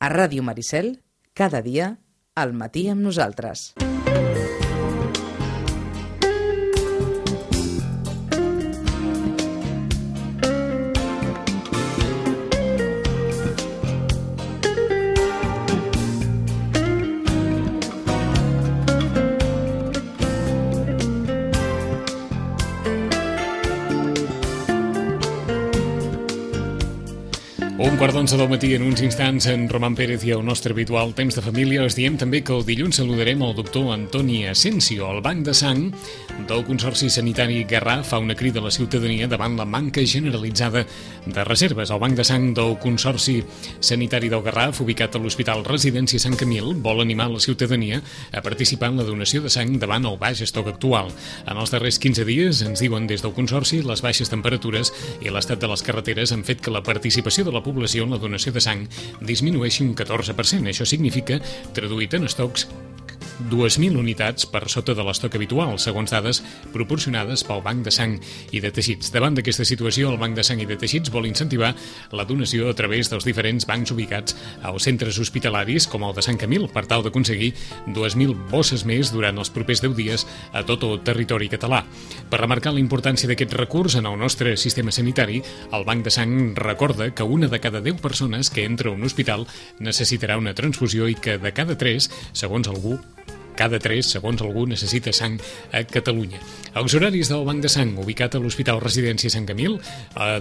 A Ràdio Maricel, cada dia, al matí amb nosaltres. Un quart d'11 del matí, en uns instants, en Roman Pérez i el nostre habitual temps de família. Us diem també que el dilluns saludarem el doctor Antoni Asensio. El Banc de Sang del Consorci Sanitari Garraf fa una crida a la ciutadania davant la manca generalitzada de reserves. El Banc de Sang del Consorci Sanitari del Garraf, ubicat a l'Hospital Residència Sant Camil, vol animar la ciutadania a participar en la donació de sang davant el baix estoc actual. En els darrers 15 dies, ens diuen des del Consorci, les baixes temperatures i l'estat de les carreteres han fet que la participació de la població en la donació de sang disminueixi un 14%. Això significa, traduït en estocs, 2.000 unitats per sota de l'estoc habitual, segons dades proporcionades pel Banc de Sang i de Teixits. Davant d'aquesta situació, el Banc de Sang i de Teixits vol incentivar la donació a través dels diferents bancs ubicats als centres hospitalaris, com el de Sant Camil, per tal d'aconseguir 2.000 bosses més durant els propers 10 dies a tot el territori català. Per remarcar la importància d'aquest recurs en el nostre sistema sanitari, el Banc de Sang recorda que una de cada 10 persones que entra a un hospital necessitarà una transfusió i que de cada 3, segons algú, necessita sang a Catalunya. Els horaris del Banc de Sang, ubicat a l'Hospital Residència Sant Camil,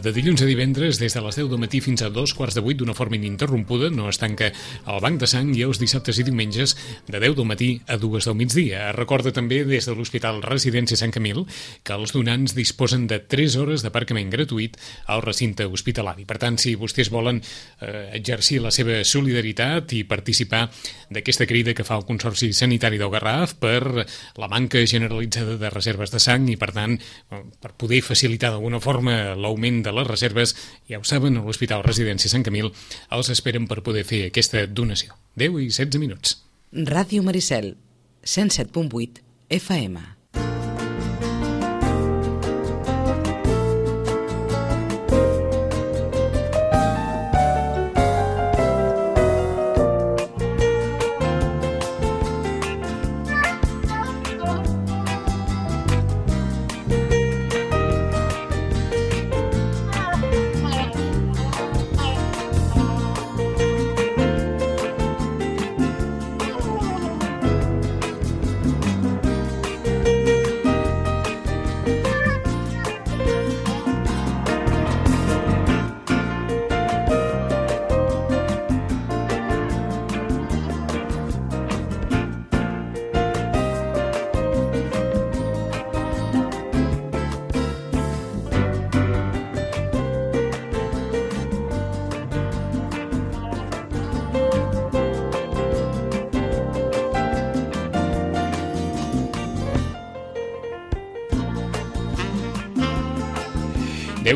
de dilluns a divendres, des de les 10 del matí fins a 7:45 d'una forma ininterrompuda, no es tanca el Banc de Sang, i els dissabtes i diumenges de 10 del matí a 2 del migdia. Recorda també des de l'Hospital Residència Sant Camil que els donants disposen de 3 hores d'aparcament gratuït al recinte hospitalari. Per tant, si vostès volen exercir la seva solidaritat i participar d'aquesta crida que fa el Consorci Sanitari del Garraf per la manca generalitzada de reserves de sang i, per tant, per poder facilitar d'alguna forma l'augment de les reserves, ja ho saben, a l'Hospital Residència Sant Camil els esperen per poder fer aquesta donació. 10 i 16 minuts. Ràdio Maricel, 107.8 FM.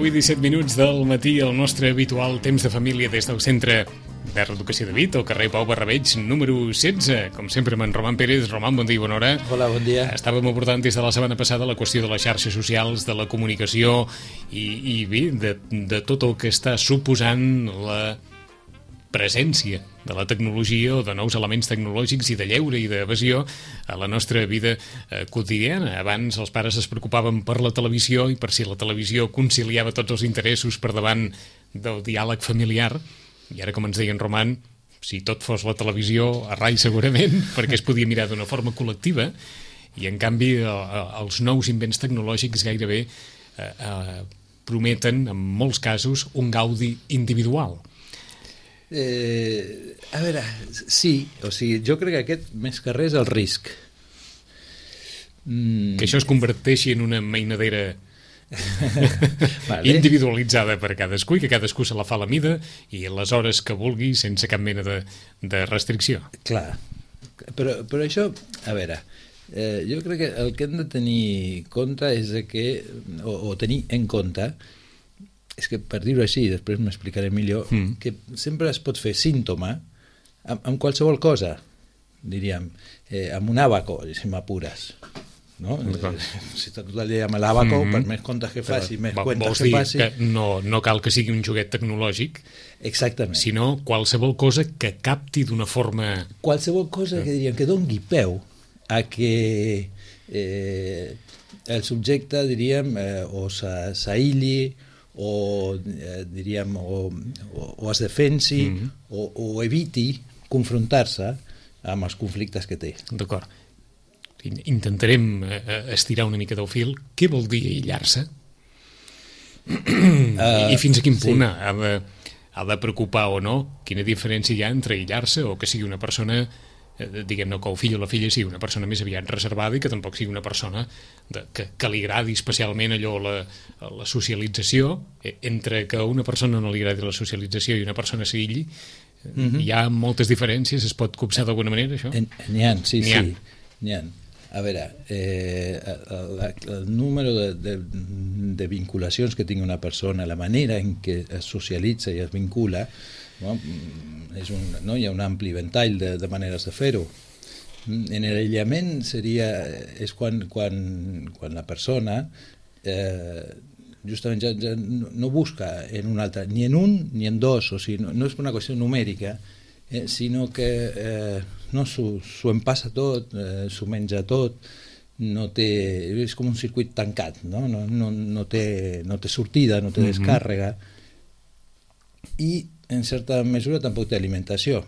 I 17 minuts del matí, el nostre habitual temps de família des del Centre de Reeducació de Vit, al carrer Pau Barrabeig, número 16. Com sempre, amb en Roman Pérez. Roman, bon dia i bona hora. Hola, bon dia. Estàvem abordant des de la setmana passada la qüestió de les xarxes socials, de la comunicació i bé, de tot el que està suposant la presència de la tecnologia o de nous elements tecnològics i de lleure i d'evasió a la nostra vida quotidiana. Abans els pares es preocupaven per la televisió i per si la televisió conciliava tots els interessos per davant del diàleg familiar, i ara, com ens deia en Roman, si tot fos la televisió, a rai segurament, perquè es podia mirar d'una forma col·lectiva, i en canvi els nous invents tecnològics gairebé prometen, en molts casos, un gaudi individual. A veure, sí, o sigui, jo crec que aquest més que res és el risc. Que això es converteixi en una mainadera individualitzada per cadascú i que cadascú se la fa a la mida i a les hores que vulgui sense cap mena de restricció. Clar, però això, a veure, jo crec que el que hem de tenir compte és que, o tenir en compte, és que, per dir-ho així, després m'explicaré millor, que sempre es pot fer símptoma amb qualsevol cosa, diríem, amb un àbaco, si m'apures. no? Si està tot el dia amb l'abaco, per més comptes que faci, més comptes que passi... Que no cal que sigui un joguet tecnològic, exactament, sinó qualsevol cosa que capti d'una forma... Qualsevol cosa que diríem que doni peu a que el subjecte, diríem, o s'aïlli, o diríem, o es defensi, o eviti confrontar-se amb els conflictes que té. D'acord. Intentarem estirar una mica del fil. Què vol dir aïllar-se? I fins a quin punt ha de preocupar o no? Quina diferència hi ha entre aïllar-se o que sigui una persona, diguem-ne, que el fill o la filla sigui una persona més aviat reservada i que tampoc sigui una persona que li agradi especialment allò, la socialització, entre que a una persona no li agradi la socialització i una persona s'aïlli. Hi ha moltes diferències, es pot copsar d'alguna manera, això? N'hi ha, sí. N'hi ha. A veure, el número de vinculacions que tingui una persona, la manera en què es socialitza i es vincula, hi ha un ampli ventall de maneres de fer-ho. En l'aïllament és quan la persona justament ja no busca en un altre, ni en un ni en dos, o sigui, no és una qüestió numèrica, sinó que s'ho empassa tot, s'ho menja tot, és com un circuit tancat, no té sortida, no té descàrrega, i en certa mesura tampoc té alimentació,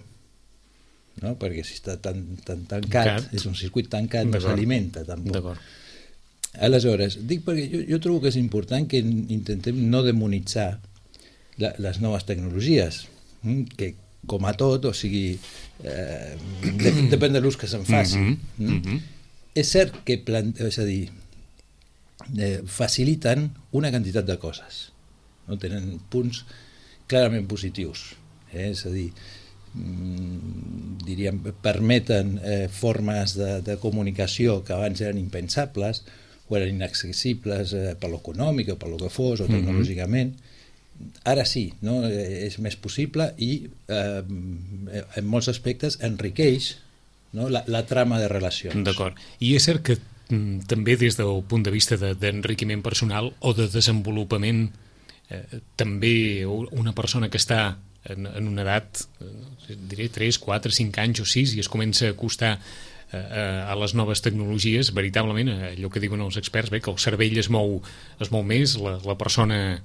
perquè si està tan tancat, és un circuit tancat, no s'alimenta tampoc. Aleshores, dic perquè jo trobo que és important que intentem no demonitzar les noves tecnologies, que com a tot, o sigui, depèn de l'ús que se'n faci. És cert que faciliten una quantitat de coses, tenen punts clarament positius, és a dir, diríem, permeten formes de comunicació que abans eren impensables o eren inaccessibles per l'econòmic o per lo que fos, o tecnològicament. Ara sí, és més possible i en molts aspectes enriqueix la trama de relacions. D'acord. I és cert que també des del punt de vista d'enriquiment personal o de desenvolupament, també una persona que està en una edat, diré 3, 4, 5 anys o 6 i es comença a acostar a les noves tecnologies, veritablement allò que diuen els experts, que el cervell es mou més, la persona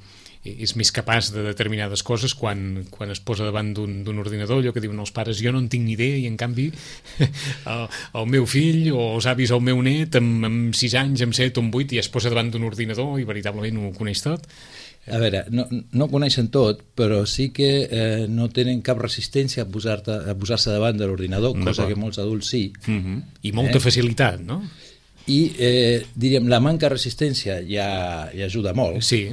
és més capaç de determinades coses quan es posa davant d'un ordinador, allò que diuen els pares, jo no en tinc ni idea, i en canvi el meu fill o els avis o el meu net amb 6 anys, amb 7 o amb 8 ja es posa davant d'un ordinador i veritablement ho coneix tot. A veure, no coneixen tot, però sí que no tenen cap resistència a posar-se davant de l'ordinador, cosa que molts adults sí. I molta facilitat, no? I, diríem, la manca de resistència ja ajuda molt. Sí.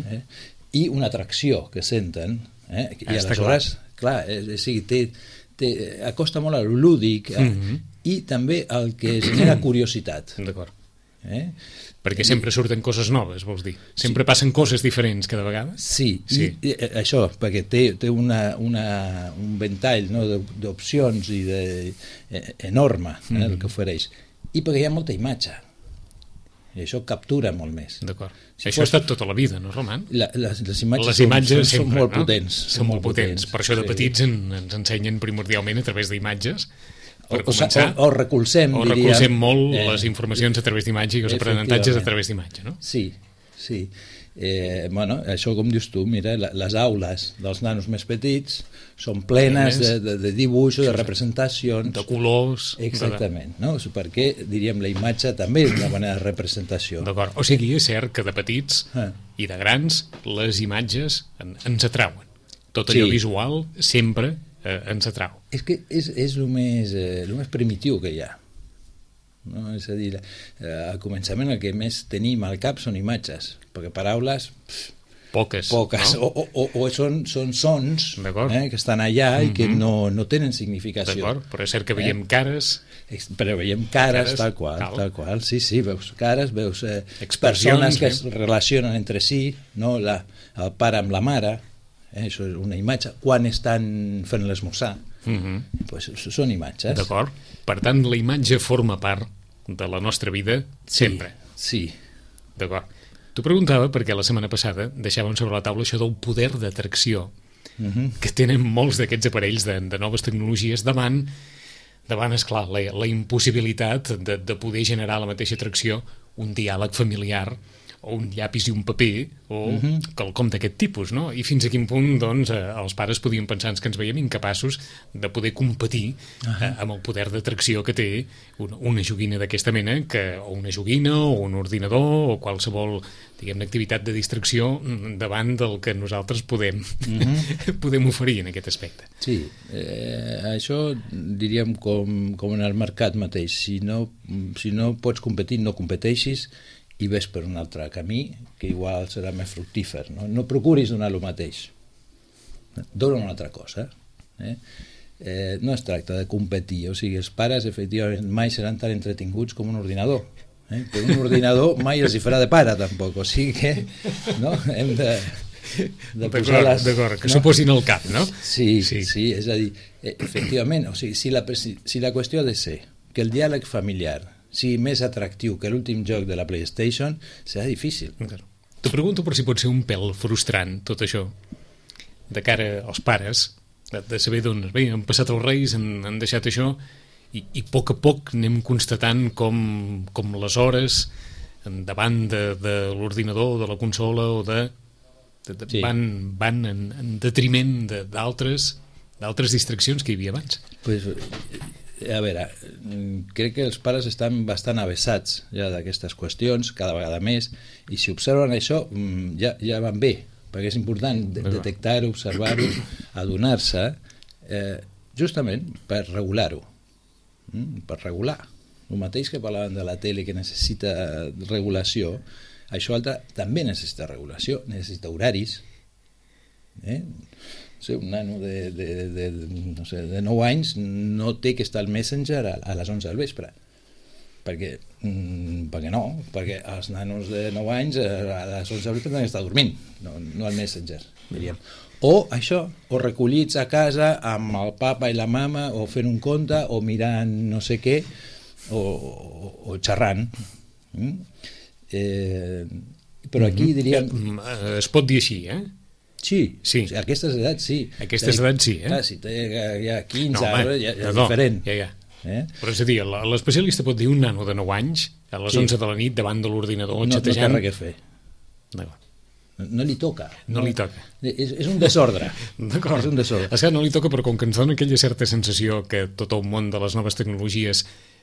I una atracció que senten. I aleshores, clar, acosta molt al lúdic i també al que genera curiositat. D'acord. Perquè sempre surten coses noves, vols dir? Sempre passen coses diferents cada vegada? Sí. I això, perquè té un ventall d'opcions i enorme el que ofereix. I perquè hi ha molta imatge. I això captura molt més. D'acord. Això ha estat tota la vida, no, Roman? Les imatges són molt potents. Són molt potents. Per això de petits ens ensenyen primordialment a través d'imatges. Per començar, o recolzem molt les informacions a través d'imatge i els aprenentatges a través d'imatge, no? Sí. Això, com dius tu, mira, les aules dels nanos més petits són plenes de dibuixos, de representacions, de colors. Exactament, no? Perquè, diríem, la imatge també és una manera de representació. D'acord. O sigui, és cert que de petits i de grans les imatges ens atrauen. Tot allò visual sempre ens atrau. És que és el més primitiu que hi ha. És a dir, al començament el que més tenim al cap són imatges, perquè paraules poques, no? o són sons que estan allà i que no tenen significació. D'acord, però és cert que veiem cares. Però veiem cares tal qual. Sí, veus cares, veus persones que es relacionen entre si, no? El pare amb la mare. Això és una imatge, quan estan fent l'esmorzar, són imatges. D'acord, per tant la imatge forma part de la nostra vida sempre. Sí. D'acord. T'ho preguntava perquè la setmana passada deixàvem sobre la taula això del poder d'atracció que tenen molts d'aquests aparells de noves tecnologies davant esclar, la impossibilitat de poder generar la mateixa atracció un diàleg familiar o un llapis i un paper o quelcom d'aquest tipus, no? I fins a quin punt, doncs, els pares podien pensar que ens veiem incapaços de poder competir amb el poder d'atracció que té una joguina d'aquesta mena, o una joguina, o un ordinador, o qualsevol, diguem-ne, activitat de distracció davant del que nosaltres podem oferir en aquest aspecte. Sí, això diríem com en el mercat mateix. Si no pots competir, no competeixis, i ves per un altre camí que igual serà més fructífer. No procuris donar el mateix. Dona una altra cosa. No es tracta de competir. O sigui, els pares, efectivament, mai seran tan entretinguts com un ordinador. Però un ordinador mai els hi farà de pare, tampoc. O sigui que hem de posar les... D'acord, que s'ho posin al cap, no? Sí, és a dir, efectivament, o sigui, si la qüestió ha de ser que el diàleg familiar sigui més atractiu que l'últim joc de la PlayStation, serà difícil. T'ho pregunto per si pot ser un pèl frustrant, tot això, de cara als pares, de saber, doncs, bé, han passat els Reis, han deixat això, i a poc anem constatant com les hores davant de l'ordinador, de la consola, o van en detriment d'altres distraccions que hi havia abans. A veure, crec que els pares estan bastant avesats ja d'aquestes qüestions, cada vegada més, i si observen això ja van bé, perquè és important detectar-ho, observar-ho, adonar-se, justament per regular-ho, per regular. El mateix que parlàvem de la tele, que necessita regulació, això altre també necessita regulació, necessita horaris. Un nano de 9 anys no té que estar al Messenger a les 11 del vespre, perquè els nanos de 9 anys a les 11 del vespre tenen que estar dormint, no al Messenger, diríem. O això, o recollits a casa amb el papa i la mama, o fent un conte, o mirant no sé què, o xerrant. Però aquí diríem... Es pot dir així, Sí. O sigui, a aquestes edats sí. A aquestes edats sí, Clar, si té ja 15 anys ja és diferent. Ja. Però és a dir, l'especialista pot dir un nano de 9 anys a les 11 de la nit davant de l'ordinador xatejant... No té res a fer. No li toca. No li toca. És un desordre. D'acord. És un desordre. És que no li toca, però com que ens dona aquella certa sensació que tot el món de les noves tecnologies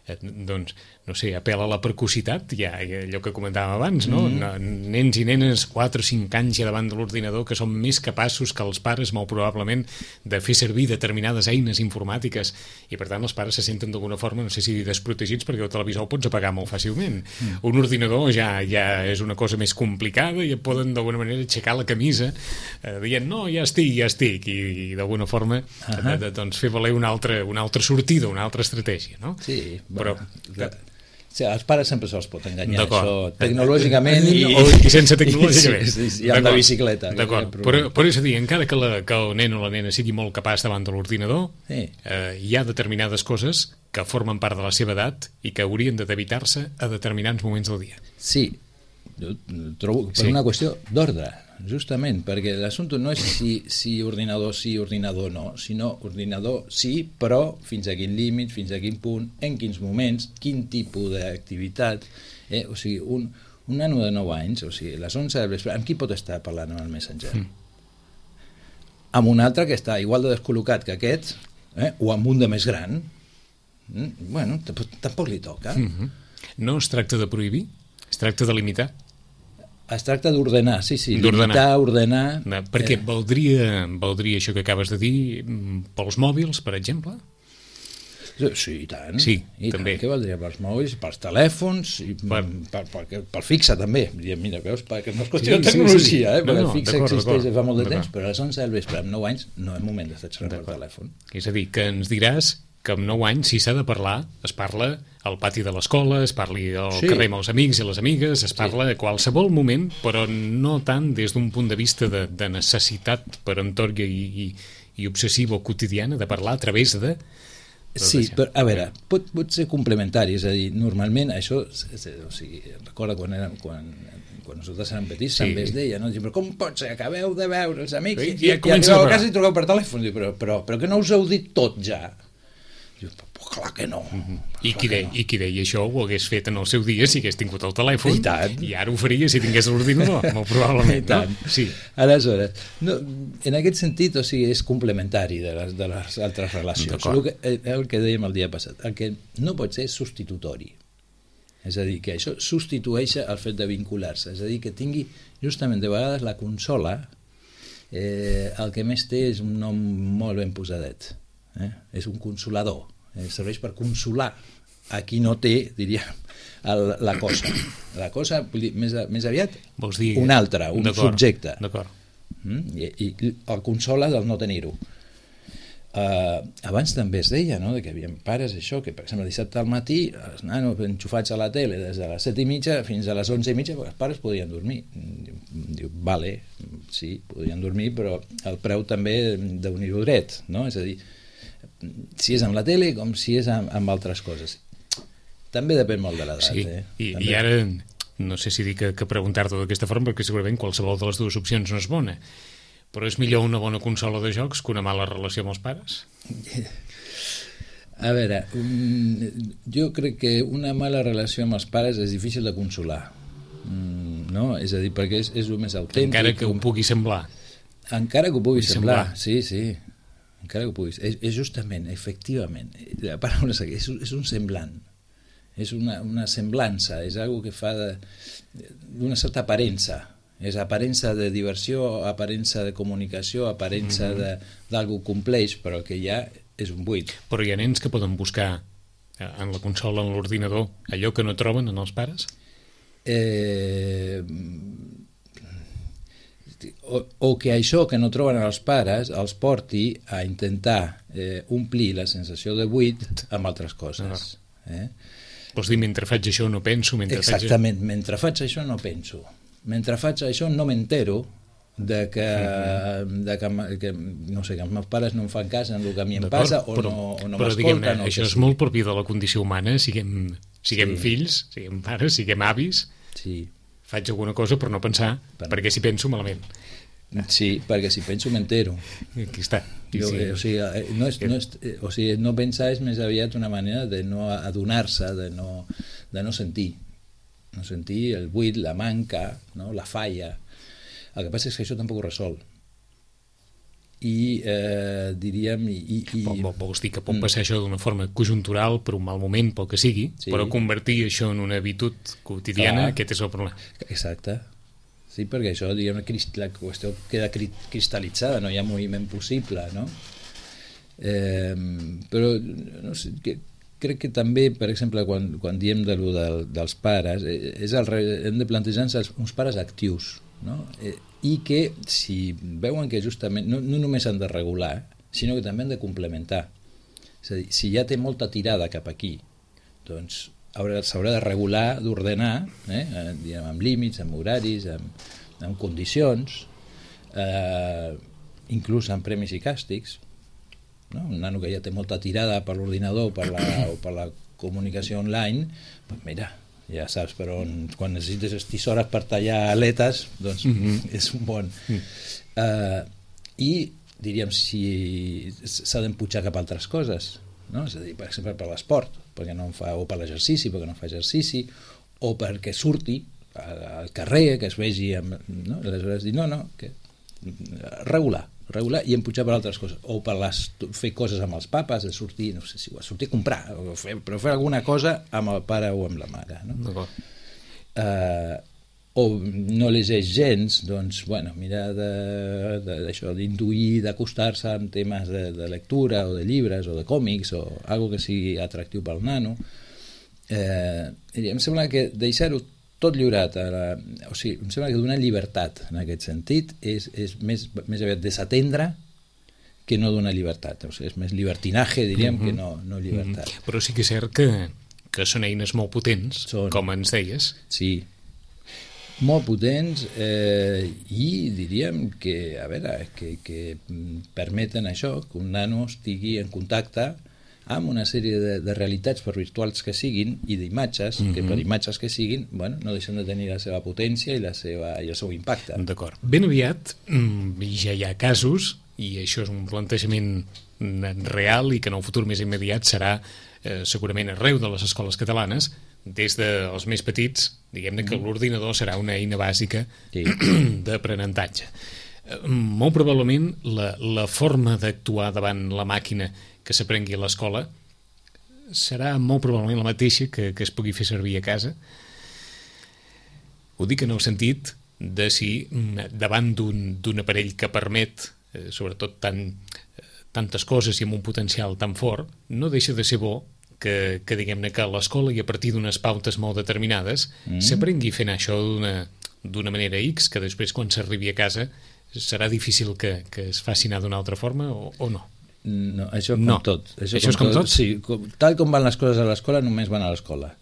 doncs, no sé, apel·la a la precocitat, ja allò que comentàvem abans, no? Nens i nenes 4 o 5 anys ja davant de l'ordinador que són més capaços que els pares molt probablement de fer servir determinades eines informàtiques, i per tant els pares se senten d'alguna forma, no sé si desprotegits, perquè el televisor el pots apagar molt fàcilment. Un ordinador ja és una cosa més complicada i et poden d'alguna manera aixecar la camisa dient, no, ja estic, i d'alguna forma doncs fer valer una altra sortida, una altra estratègia, no? Sí, però sí, els pares sempre se'ls pot enganyar, això, tecnològicament i sense tecnològicament. I amb la bicicleta. D'acord, però és a dir, encara que el nen o la nena sigui molt capaç davant de l'ordinador, hi ha determinades coses que formen part de la seva edat i que haurien d'evitar-se a determinats moments del dia. Sí, jo trobo per una qüestió d'ordre, justament, perquè l'assumpte no és si ordinador sí, ordinador no, sinó ordinador sí, però fins a quin límit, fins a quin punt, en quins moments, quin tipus d'activitat. O sigui, un nano de 9 anys, o sigui, a les 11 del vespre, amb qui pot estar parlant en el Messenger? Amb un altre que està igual de descol·locat que aquest, o amb un de més gran? Bueno, tampoc li toca. No es tracta de prohibir, es tracta de limitar. Es tracta d'ordenar, sí, limitar, ordenar... Perquè valdria això que acabes de dir pels mòbils, per exemple? Sí, i tant. Sí, i també. Què valdria pels mòbils, pels telèfons, i pel fixe també. Mira, veus, perquè no és qüestió de tecnologia, perquè el fixe existeix fa molt de temps, però a les 11 del vespre, amb 9 anys, no és moment d'estar xerrant per telèfon. És a dir, que ens diràs que amb 9 anys, si s'ha de parlar, es parla al pati de l'escola, es parli al carrer amb els amics i les amigues, es parla a qualsevol moment, però no tant des d'un punt de vista de necessitat peremptòria i obsessiva o quotidiana de parlar a través Sí, però a veure, pot ser complementari, és a dir, normalment això, o sigui, recorda quan nosaltres érem petits, sí. també es deia, no? Però com pot ser? Acabeu de veure els amics I arribeu a casa i truqueu per telèfon, però que no us heu dit tot ja? Diu, clar que no. I qui deia això ho hagués fet en el seu dia si hagués tingut el telèfon, i ara ho faria si tingués l'ordinador, molt probablement. No? Sí. Aleshores, en aquest sentit, o sigui, és complementari de les altres relacions. El que dèiem el dia passat, el que no pot ser és substitutori. És a dir, que això substitueix el fet de vincular-se, és a dir, que tingui justament de vegades la consola, el que més té és un nom molt ben posadet. És un consolador, serveix per consolar a qui no té, diríem, la cosa. La cosa, vull dir, més aviat, un altre, un subjecte. I el consola del no tenir-ho. Abans també es deia, no?, que hi havia pares, això, que per exemple dissabte al matí els nanos enxufats a la tele des de les 7:30 fins a les 11:30, els pares podien dormir. Diu, vale, sí, podien dormir, però el preu també d'unir-ho dret, no? És a dir, si és amb la tele com si és amb altres coses. També depèn molt de l'edat. Sí, i ara no sé si dic que preguntar-t'ho d'aquesta forma, perquè segurament qualsevol de les dues opcions no és bona, però és millor una bona consola de jocs que una mala relació amb els pares? A veure, jo crec que una mala relació amb els pares és difícil de consolar, no? És a dir, perquè és el més autèntic. Encara que ho pugui semblar. Encara que ho pugui semblar, sí. Encara que ho puguis. És justament, efectivament, la paraula és un semblant, és una semblança, és algo que fa d'una certa aparença, és aparença de diversió, aparença de comunicació, aparença d'algo compleix, però el que hi ha és un buit. Però hi ha nens que poden buscar en la consola, en l'ordinador, allò que no troben en els pares? O que això que no troben els pares els porti a intentar omplir la sensació de buit amb altres coses. Vols dir, mentre faig això no penso? Exactament, mentre faig això no penso. Mentre faig això no m'entero de que no sé, que els meus pares no em fan cas en el que a mi em passa o no m'escolten. Això és molt propi de la condició humana, siguem fills, siguem pares, siguem avis. Sí. Faig alguna cosa per no pensar, perquè si penso malament. Sí, perquè si penso m'entero. Aquí està. O sigui, no pensar és més aviat una manera de no adonar-se, de no sentir. No sentir el buit, la manca, no? La falla. El que passa és que això tampoc ho resol. I diríem... Vols dir que pot passar això d'una forma conjuntural per un mal moment, pel que sigui, però convertir això en una habitud quotidiana, aquest és el problema. Exacte. Sí, perquè això, diguem, la qüestió queda cristal·litzada, no hi ha moviment possible, no? Però, no sé, crec que també, per exemple, quan diem dels pares, hem de plantejar-nos uns pares actius, no? I que si veuen que justament no només han de regular, sinó que també han de complementar. És a dir, si ja té molta tirada cap aquí, doncs s'haurà de regular, d'ordenar, amb límits, amb horaris, amb condicions, inclús amb premis i càstigs. No? Un nano que ja té molta tirada per l'ordinador o per la comunicació online, doncs mira, ja saps per on, quan necessites tisores per tallar aletes, doncs és un bon. I diríem, si s'ha d'empujar cap a altres coses, no? És a dir, per exemple, per l'esport, o per l'exercici, perquè no fa exercici, o perquè surti al carrer, que es vegi, no? Aleshores dir, que regular i empujar per altres coses, o per fer coses amb els papes, de sortir, no sé si sortir a comprar, però fer alguna cosa amb el pare o amb la mare, no? O no llegeix gens, doncs, mirar d'això, d'intuir, d'acostar-se amb temes de lectura o de llibres o de còmics o algo que sigui atractiu pel nano. Em sembla que deixar-ho tot lliurat, o sigui, em sembla que donar llibertat en aquest sentit és més aviat desatendre que no donar llibertat, o sigui, és més llibertinaje, diríem, que no llibertat. Però sí que és cert que són eines molt potents, com ens deies. Sí, molt potents, i diríem que, a veure, que permeten això, que un nano estigui en contacte amb una sèrie de realitats, per virtuals que siguin, i d'imatges, que per imatges que siguin, bueno, no deixen de tenir la seva potència i el seu impacte. D'acord. Ben aviat ja hi ha casos, i això és un plantejament real i que en el futur més immediat serà segurament arreu de les escoles catalanes, des dels més petits, diguem-ne que l'ordinador serà una eina bàsica d'aprenentatge. Molt probablement la forma d'actuar davant la màquina que s'aprengui a l'escola serà molt probablement la mateixa que es pugui fer servir a casa. Ho dic en el sentit de si davant d'un aparell que permet sobretot tantes coses i amb un potencial tan fort, no deixa de ser bo que diguem-ne que a l'escola i a partir d'unes pautes molt determinades s'aprengui fent això d'una manera X, que després quan s'arribi a casa serà difícil que es faci anar d'una altra forma o no? No, això com tot. Això és com tot? Sí, tal com van les coses a l'escola, només van a l'escola.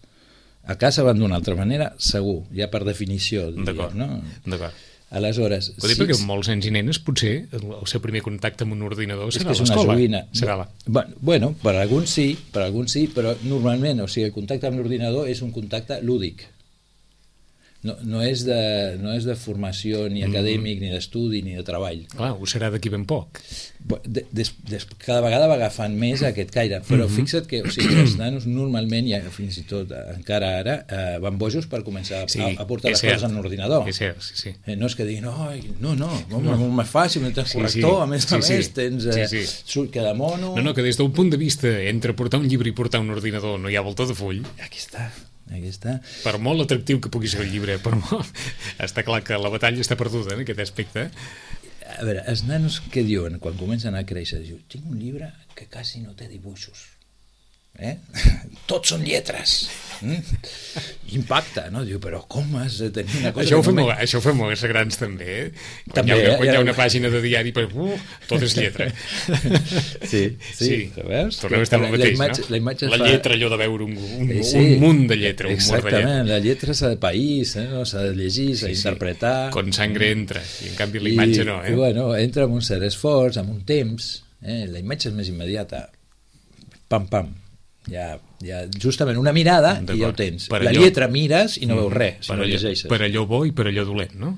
A casa van d'una altra manera, segur, ja per definició. D'acord, no? D'acord. Aleshores... Ho dic perquè molts nens i nenes potser el seu primer contacte amb un ordinador serà a és l'escola. una joguina. Serà bueno, per alguns sí, però normalment, o sigui, el contacte amb l'ordinador és un contacte lúdic. No és de formació ni acadèmic, ni d'estudi, ni de treball. Clar, ho serà d'aquí ben poc. Cada vegada va agafant més aquest caire, però fixa't que els nanos normalment, ja fins i tot encara ara, van bojos per començar a portar les coses en l'ordinador. És cert, sí. No és que diguin, molt més fàcil, no tens corrector, a més tens queda mono... No, que des d'un punt de vista entre portar un llibre i portar un ordinador no hi ha volta de full. Aquí està. Per molt atractiu que pugui ser el llibre, està clar que la batalla està perduda en aquest aspecte. A veure, els nanos què diuen quan comencen a créixer? Diuen, tinc un llibre que quasi no té dibuixos. Tots són lletres. Impacta, no? Diu, però com has de tenir una cosa... Això ho fem molts grans també. Quan hi ha una pàgina de diari, tot és lletra. Sí. Tornem a estar amb el mateix, no? La lletra, allò de veure un munt de lletra. Exactament, la lletra s'ha de país, s'ha de llegir, s'ha d'interpretar. Con sangre entra, i en canvi la imatge no. I bueno, entra amb un cert esforç, amb un temps, la imatge és més immediata. Pam. Ja, justament una mirada i ja ho tens. La lletra mires i no veus res si no llegeixes. Per allò bo i per allò dolent, no?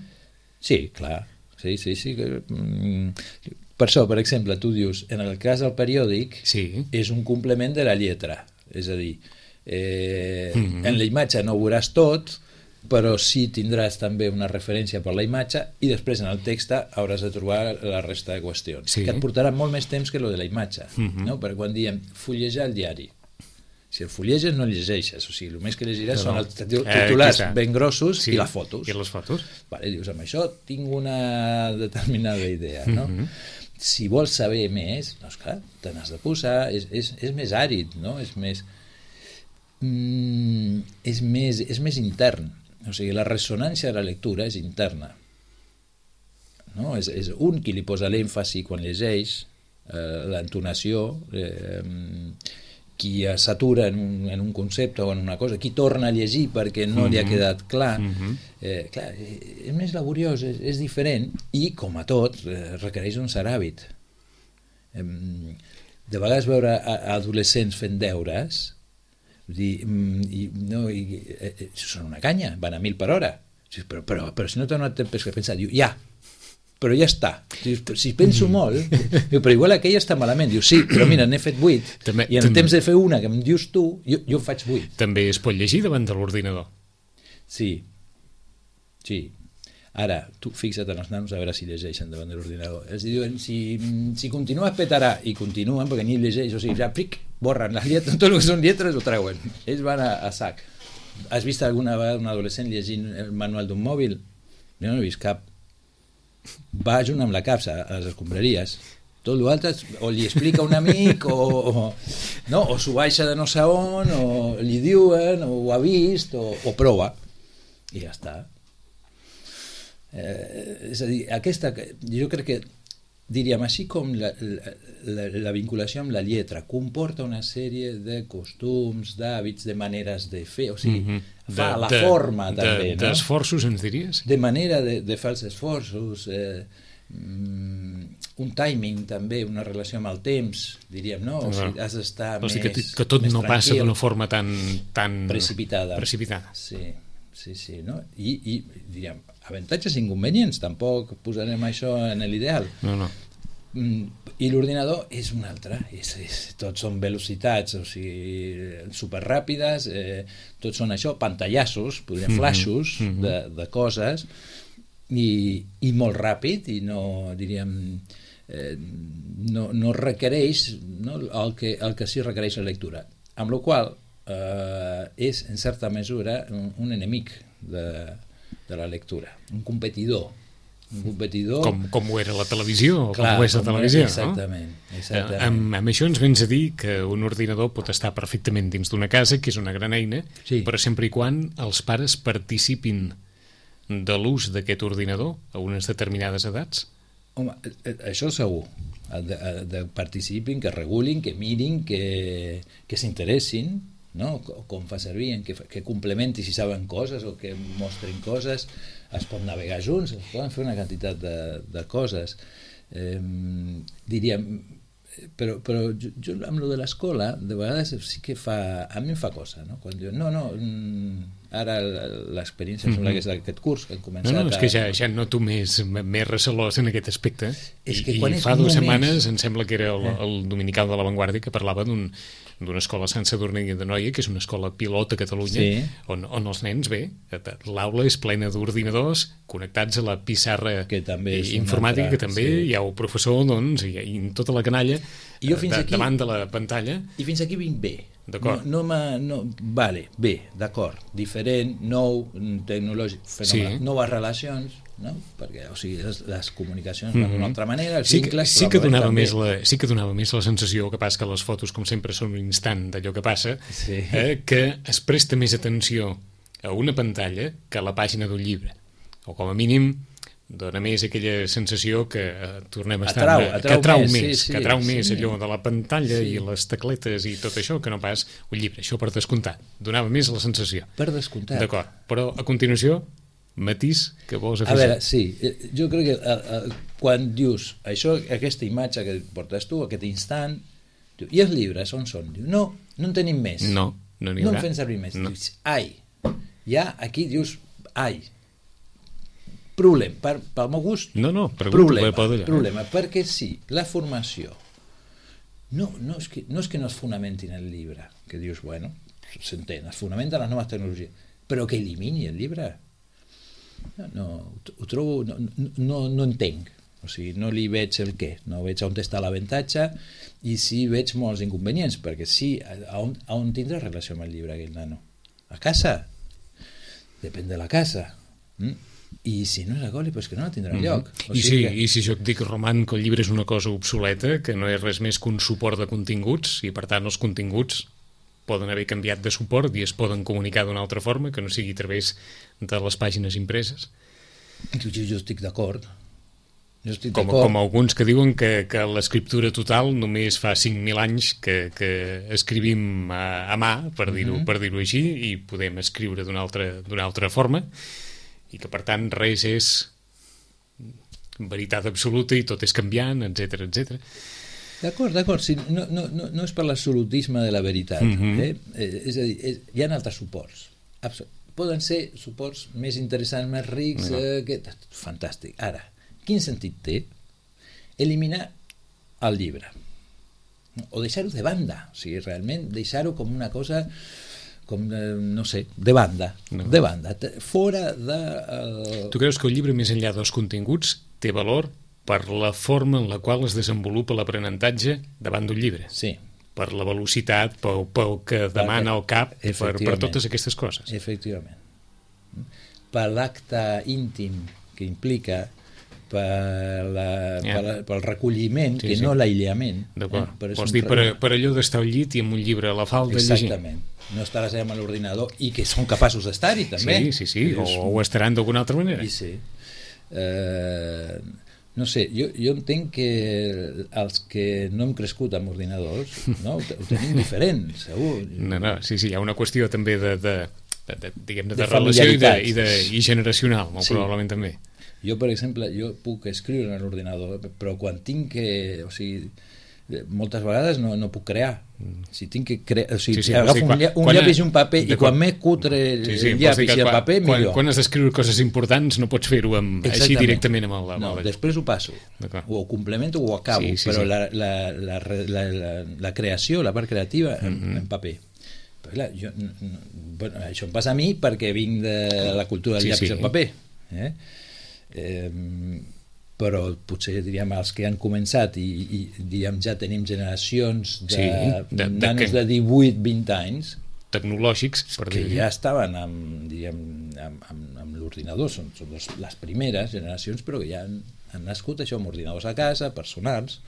Sí, clar. Sí. Per això, per exemple, tu dius, en el cas del periòdic és un complement de la lletra, és a dir, en la imatge no ho veuràs tot, però sí tindràs també una referència per la imatge i després en el text hauràs de trobar la resta de qüestions, que et portarà molt més temps que lo de la imatge, no? Perquè quan diem fullejar el diari, si el fulleges no el llegeixes, o sigui, el més que llegiràs són els titulars ben grossos i les fotos. I les fotos. Vale, dius, amb això tinc una determinada idea, no? Si vols saber més, no, esclar, te n'has de posar, és més àrid, no? És més intern, o sigui, la ressonància de la lectura és interna, no? És un qui li posa l'èmfasi quan llegeix, l'entonació, qui s'atura en un concepte o en una cosa, qui torna a llegir perquè no li ha quedat clar, clar, és més laboriós, és diferent i, com a tot, requereix un cert hàbit. De vegades veure adolescents fent deures, són una canya, van a 1000 per hora, però si no t'ha donat temps per pensar, diu, però ja està. Si penso molt, però igual aquella està malament. Diu, sí, però mira, n'he fet 8 i en temps de fer una que em dius tu, jo en faig 8. També es pot llegir davant de l'ordinador. Sí. Ara, tu fixa't en els nanos a veure si llegeixen davant de l'ordinador. Els diuen, si continues petarà, i continuen, perquè ni llegeix, o sigui, ja borren les lletres, tot el que són lletres ho treuen. Ells van a sac. Has vist alguna vegada un adolescent llegint el manual d'un mòbil? Jo no he vist cap. Va junt amb la capsa a les escombraries, tot l'altre o li explica un amic o s'ho baixa de no sé on o li diuen o ho ha vist o prova i ja està. És a dir, jo crec que diríem així com la vinculació amb la lletra comporta una sèrie de costums, d'hàbits, de maneres de fer, o sigui, fa la forma també, no? D'esforços, ens diries? De manera de fer els esforços, un timing també, una relació amb el temps, diríem, no? O sigui, has d'estar més tranquil. Que tot no passa d'una forma tan precipitada. Sí, no? I diríem, avantatges i inconvenients, tampoc posarem això en l'ideal. No. I l'ordinador és un altre, tots són velocitats, o sigui, superràpides, tots són això, pantallassos, podríem flashos de coses, i molt ràpid, i no, diríem, no requereix, no, el que sí requereix la lectura, amb la qual és en certa mesura un enemic de la lectura, un competidor, com ho era la televisió, clar, com ho és la televisió, exactament, no? Exactament. Amb això ens vens a dir que un ordinador pot estar perfectament dins d'una casa, que és una gran eina, sí, però sempre i quan els pares participin de l'ús d'aquest ordinador a unes determinades edats? Home, això segur, de participin, que regulin, que mirin, que s'interessin, no? Com fa servir, que complementi si saben coses o que mostrin coses, es pot navegar junts, es poden fer una quantitat de coses, diríem, però jo amb lo de l'escola de vegades sí que a mi em fa cosa, no? Quan diuen, ara l'experiència em sembla que és d'aquest curs que hem començat. És que ja noto més recelós en aquest aspecte, i fa 2 setmanes em sembla que era el dominical de La Vanguardia que parlava d'una escola Sant Sadurní d'Anoia, que és una escola pilot a Catalunya, sí, on els nens, l'aula és plena d'ordinadors connectats a la pissarra informàtica, que també hi ha el professor, doncs, i tota la canalla davant de la pantalla. I fins aquí vinc bé. D'acord. Vale, bé, d'acord, diferent, nou, tecnològic, fenomenal, noves relacions, no? Perquè, o sigui, les comunicacions van d'una altra manera, els vincles... Sí que donava més la sensació, que passa que les fotos, com sempre, són un instant d'allò que passa, que es presta més atenció a una pantalla que a la pàgina d'un llibre, o com a mínim dona més aquella sensació que tornem a estar... Que atrau més allò de la pantalla i les tecletes i tot això, que no pas un llibre. Això per descomptat. Donava més la sensació. Per descomptat. D'acord. Però a continuació, matís que vols afegir. A veure, sí. Jo crec que quan dius això, aquesta imatge que portes tu, aquest instant, diu, i els llibres on són? Diu, no en tenim més. No n'hi haurà. No en fem servir més. Dius, ai. Ja aquí dius, ai. Problema, pel meu gust, problema, perquè sí, la formació no és que no es fonamenti en el llibre, que dius, bueno, s'entén, es fonamenta en les noves tecnologies, però que elimini el llibre, ho trobo, no entenc, o sigui, no li veig el què, no veig on està l'avantatge, i sí veig molts inconvenients, perquè sí, on tindrà relació amb el llibre aquell nano? A casa? Depèn de la casa. I si no és a Goli, doncs que no tindrà lloc. I si jo et dic, Roman, que el llibre és una cosa obsoleta, que no és res més que un suport de continguts, i per tant els continguts poden haver canviat de suport i es poden comunicar d'una altra forma, que no sigui a través de les pàgines impreses. Jo estic d'acord. Com alguns que diuen que l'escriptura total només fa 5.000 anys que escrivim a mà, per dir-ho així, i podem escriure d'una altra forma, i que per tant res és veritat absoluta i tot és canviant, etc. D'acord, sí, no és per l'absolutisme de la veritat, és a dir, hi ha altres suports, poden ser suports més interessants, més rics, fantàstic. Ara, quin sentit té eliminar el llibre o deixar-ho de banda, o sigui, realment deixar-ho com una cosa com, no sé, de banda, fora de... Tu creus que el llibre, més enllà dels continguts, té valor per la forma en la qual es desenvolupa l'aprenentatge davant d'un llibre? Sí. Per la velocitat, pel que demana el cap, per totes aquestes coses. Efectivament. Per l'acte íntim que implica, pel recolliment, que no l'aïllament. D'acord. Vols dir, per allò d'estar al llit i amb un llibre a la falda llegint. Exactament. No estaràs amb l'ordinador i que són capaços d'estar-hi també. Sí, o ho estaran d'alguna altra manera. Sí. No sé, jo entenc que els que no hem crescut amb ordinadors, no, ho tenim diferent, segur. No, sí, hi ha una qüestió també de relació i generacional, molt probablement també. Jo, per exemple, jo puc escriure en l'ordinador, però quan tinc que... O sigui, moltes vegades no puc crear. Si tinc que crear... O sigui, agafo un llapis i un paper i quan m'he cutre el llapis i el paper, millor. Quan has d'escriure coses importants no pots fer-ho així directament amb el... No, després ho passo. O ho complemento o ho acabo, però la creació, la part creativa, en paper. Però clar, això em passa a mi perquè vinc de la cultura del llapis i el paper. Però potser diríem els que han començat i diríem ja tenim generacions de nanos de 18-20 anys tecnològics que ja estaven amb l'ordinador, són les primeres generacions, però que ja han nascut això amb ordinadors a casa, personals.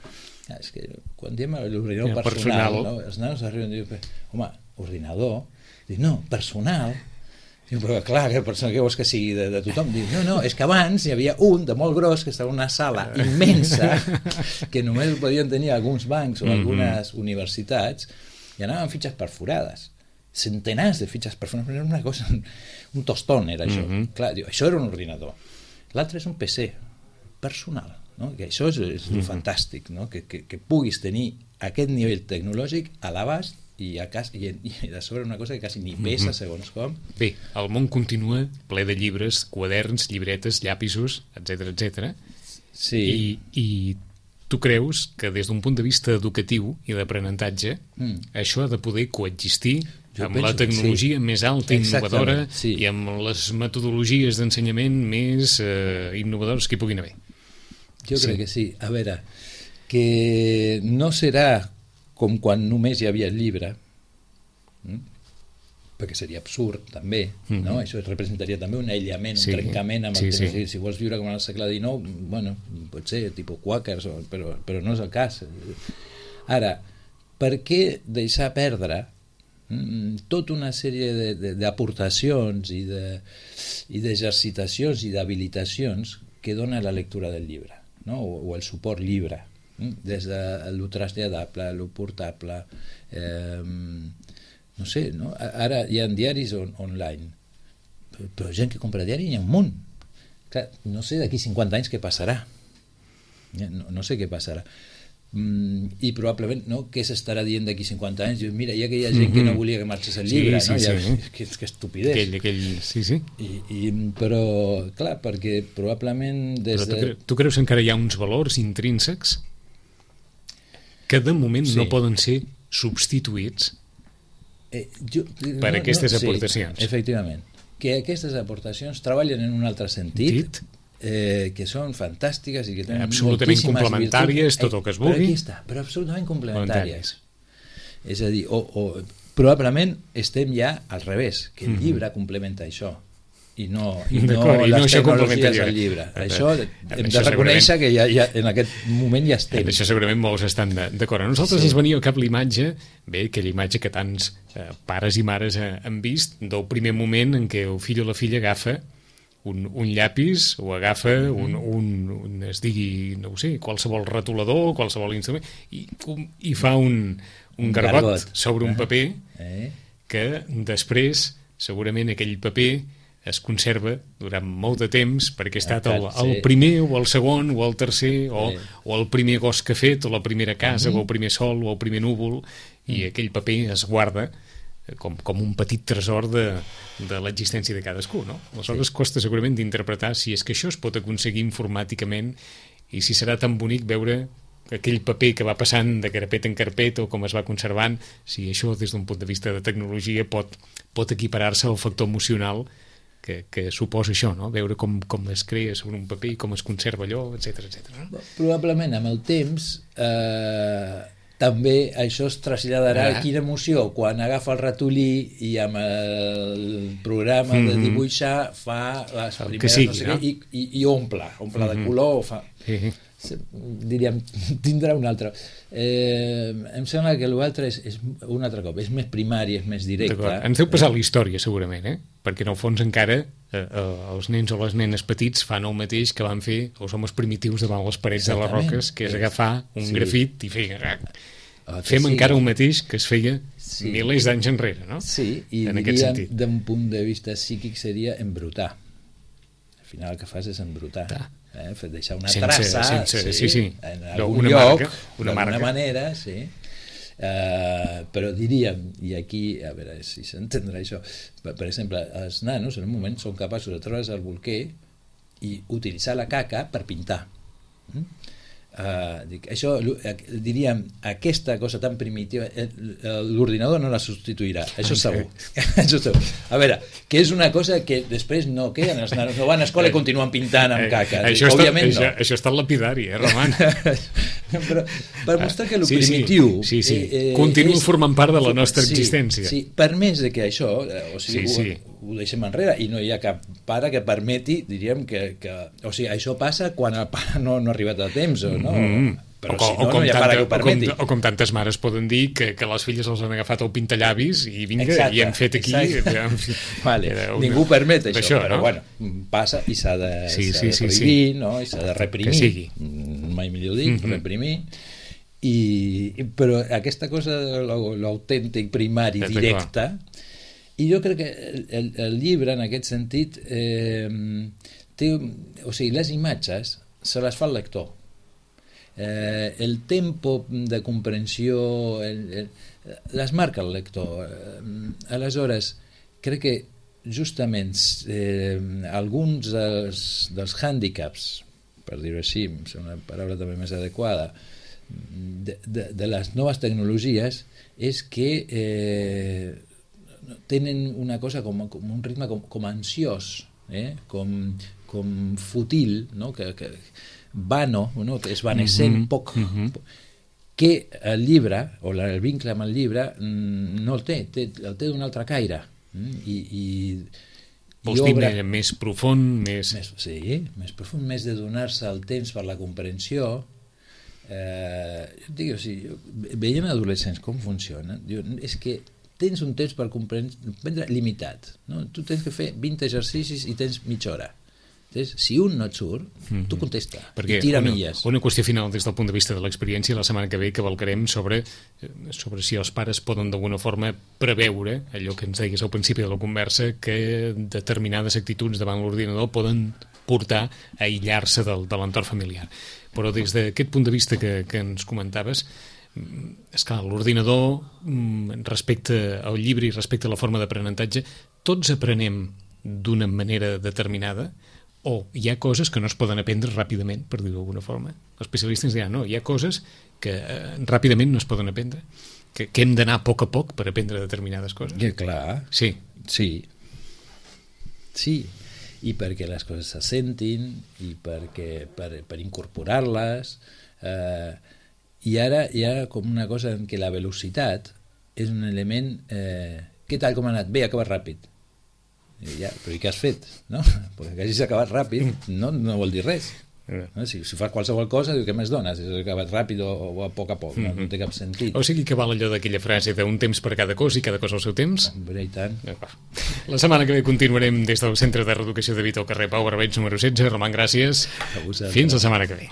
És que quan diem l'ordinador personal, no? Els nanos arriben i diuen, home, ordinador? Dic, no, personal. Però clar, què vols que sigui de tothom? Diu, no, és que abans hi havia un de molt gros que estava en una sala immensa que només podien tenir alguns bancs o algunes universitats i anaven amb fitxes perforades, centenars de fitxes perforades, era una cosa, un tostón era això. Clar, diu, això era un ordinador. L'altre és un PC personal, no? Que això és fantàstic, no? Que puguis tenir aquest nivell tecnològic a l'abast i de sobre una cosa que quasi ni pesa segons com. Bé, el món continua ple de llibres, quaderns, llibretes, llapisos, etc. Sí. I tu creus que des d'un punt de vista educatiu i d'aprenentatge això ha de poder coexistir amb la tecnologia més alta i innovadora i amb les metodologies d'ensenyament més innovadores que hi puguin haver? Jo crec que sí. A veure, que no serà com quan només hi havia el llibre, perquè seria absurd també, no? Això representaria també un aïllament, un trencament amb el temps. Si vols viure com en el segle XIX, bueno, pot ser tipus quàquers, però no és el cas. Ara, per què deixar perdre tota una sèrie d'aportacions i d'exercitacions i d'habilitacions que dona la lectura del llibre, no? O el suport llibre, des de lo traslladable, lo portable, no sé, no? Ara hi ha diaris online, però gent que compra diari hi ha un munt. Clar, no sé d'aquí 50 anys què passarà, no sé què passarà, i probablement què s'estarà dient d'aquí 50 anys? Mira, hi ha aquella gent que no volia que marxés el llibre, que estupidesa. Però clar, perquè probablement tu creus que encara hi ha uns valors intrínsecs que de moment no poden ser substituïts per aquestes aportacions? Efectivament, que aquestes aportacions treballen en un altre sentit, que són fantàstiques i que tenen absolutament complementàries, tot el que es vulgui, però absolutament complementàries. És a dir, probablement estem ja al revés, que el llibre complementa això i no les tecnologies del llibre. Això hem de reconèixer que ja en aquest moment ja estem. Això segurament molts estan d'acord. A nosaltres ens venia al cap l'imatge, aquella imatge que tants pares i mares han vist, del primer moment en què el fill o la filla agafa un llapis o agafa es digui, no ho sé, qualsevol retolador, qualsevol instrument i fa un garbot sobre un paper que després segurament aquell paper es conserva durant molt de temps perquè ha estat el primer o el segon o el tercer o el primer gos que ha fet o la primera casa o el primer sol o el primer núvol i aquell paper es guarda com un petit tresor de l'existència de cadascú, no? Aleshores costa segurament d'interpretar si és que això es pot aconseguir informàticament i si serà tan bonic veure aquell paper que va passant de carpeta en carpeta o com es va conservant, si això des d'un punt de vista de tecnologia pot equiparar-se al factor emocional que suposa això, no? Veure com es crea sobre un paper i com es conserva allò, etc. No? Probablement amb el temps també això es traslladarà a quina emoció quan agafa el ratolí i amb el programa de dibuixar fa les primeres i omple de color o fa... diríem, tindrà un altre. Em sembla que l'altre és un altre cop, és més primari, és més directe. Ens deu passar la història segurament, perquè en el fons encara els nens o les nenes petits fan el mateix que van fer els homes primitius davant les parets de les roques, que és agafar un grafit i fer... Fem encara el mateix que es feia milers d'anys enrere, no? Sí, i diríem d'un punt de vista psíquic seria embrutar. final el que fas és embrutar, deixar una Sense- traça sense- sí. en algun Una lloc, marca, una d'alguna marca. manera, sí. Però diríem, i aquí a veure si s'entendrà això, per exemple, els nanos en un moment són capaços de treure's el bolquer i utilitzar la caca per pintar. Això, diríem, aquesta cosa tan primitiva l'ordinador no la substituirà, això segur. Això segur. A veure, que és una cosa que després no queden, els nanos no van a escola i continuen pintant amb caca. Òbviament no. Això està en lapidari, Roman? Però per mostrar que el primitiu continua formant part de la nostra existència. Sí, per més de que això ho deixem enrere i no hi ha cap pare que permeti, diríem que o sigui, això passa quan el pare no ha arribat a temps no? Però si no, no hi ha pare que ho permeti. O com tantes mares poden dir que les filles els han agafat el pintallavis i vinga, exacte, i hem fet aquí vale. Ningú permet això, però no? bueno, passa i s'ha de prohibir, no? I s'ha de reprimir, mai millor dit, reprimir. Però aquesta cosa de l'autèntic primari directe, i jo crec que el llibre en aquest sentit té, o sigui, les imatges se les fa el lector, el tempo de comprensió les marca el lector. Aleshores crec que justament alguns dels hàndicaps, per dir-ho així, és una paraula també més adequada, de les noves tecnologies és que tenen una cosa com un ritme com ansiós, com fútil, no? que vano, no? Que esvanecent poc, que el llibre o el vincle amb el llibre no el té d'un altre caire, vols dir més profund, més profund, més de donar-se el temps per la comprensió. Veient adolescents com funciona, és que tens un temps per comprendre limitat, no? Tu tens que fer 20 exercicis i tens mitja hora. Si un no et surt, tu contesta i tira milles. Una qüestió final des del punt de vista de l'experiència, la setmana que ve cavalcarem sobre si els pares poden d'alguna forma preveure allò que ens deies al principi de la conversa, que determinades actituds davant l'ordinador poden portar a aïllar-se de l'entorn familiar. Però des d'aquest punt de vista que ens comentaves, esclar, l'ordinador respecte al llibre i respecte a la forma d'aprenentatge, tots aprenem d'una manera determinada o hi ha coses que no es poden aprendre ràpidament, per dir-ho d'alguna forma? Els especialistes diran, no, hi ha coses que ràpidament no es poden aprendre, que hem d'anar a poc per aprendre determinades coses. Que clar. Sí. I perquè les coses se sentin i perquè per incorporar-les, i ara hi ha com una cosa en què la velocitat és un element què tal, com ha anat? Bé, ha acabat ràpid. Però i què has fet? No? Perquè que hagis acabat ràpid no vol dir res. Si fas qualsevol cosa, què més dones? Has acabat ràpid o a poc, no té cap sentit. O sigui que val allò d'aquella frase d'un temps per cada cosa i cada cosa al seu temps? Hombre, i tant. La setmana que ve continuarem des del Centre de Reeducació de Vita al carrer Pau Barbeig número 16. Roman, gràcies. Fins la setmana que ve.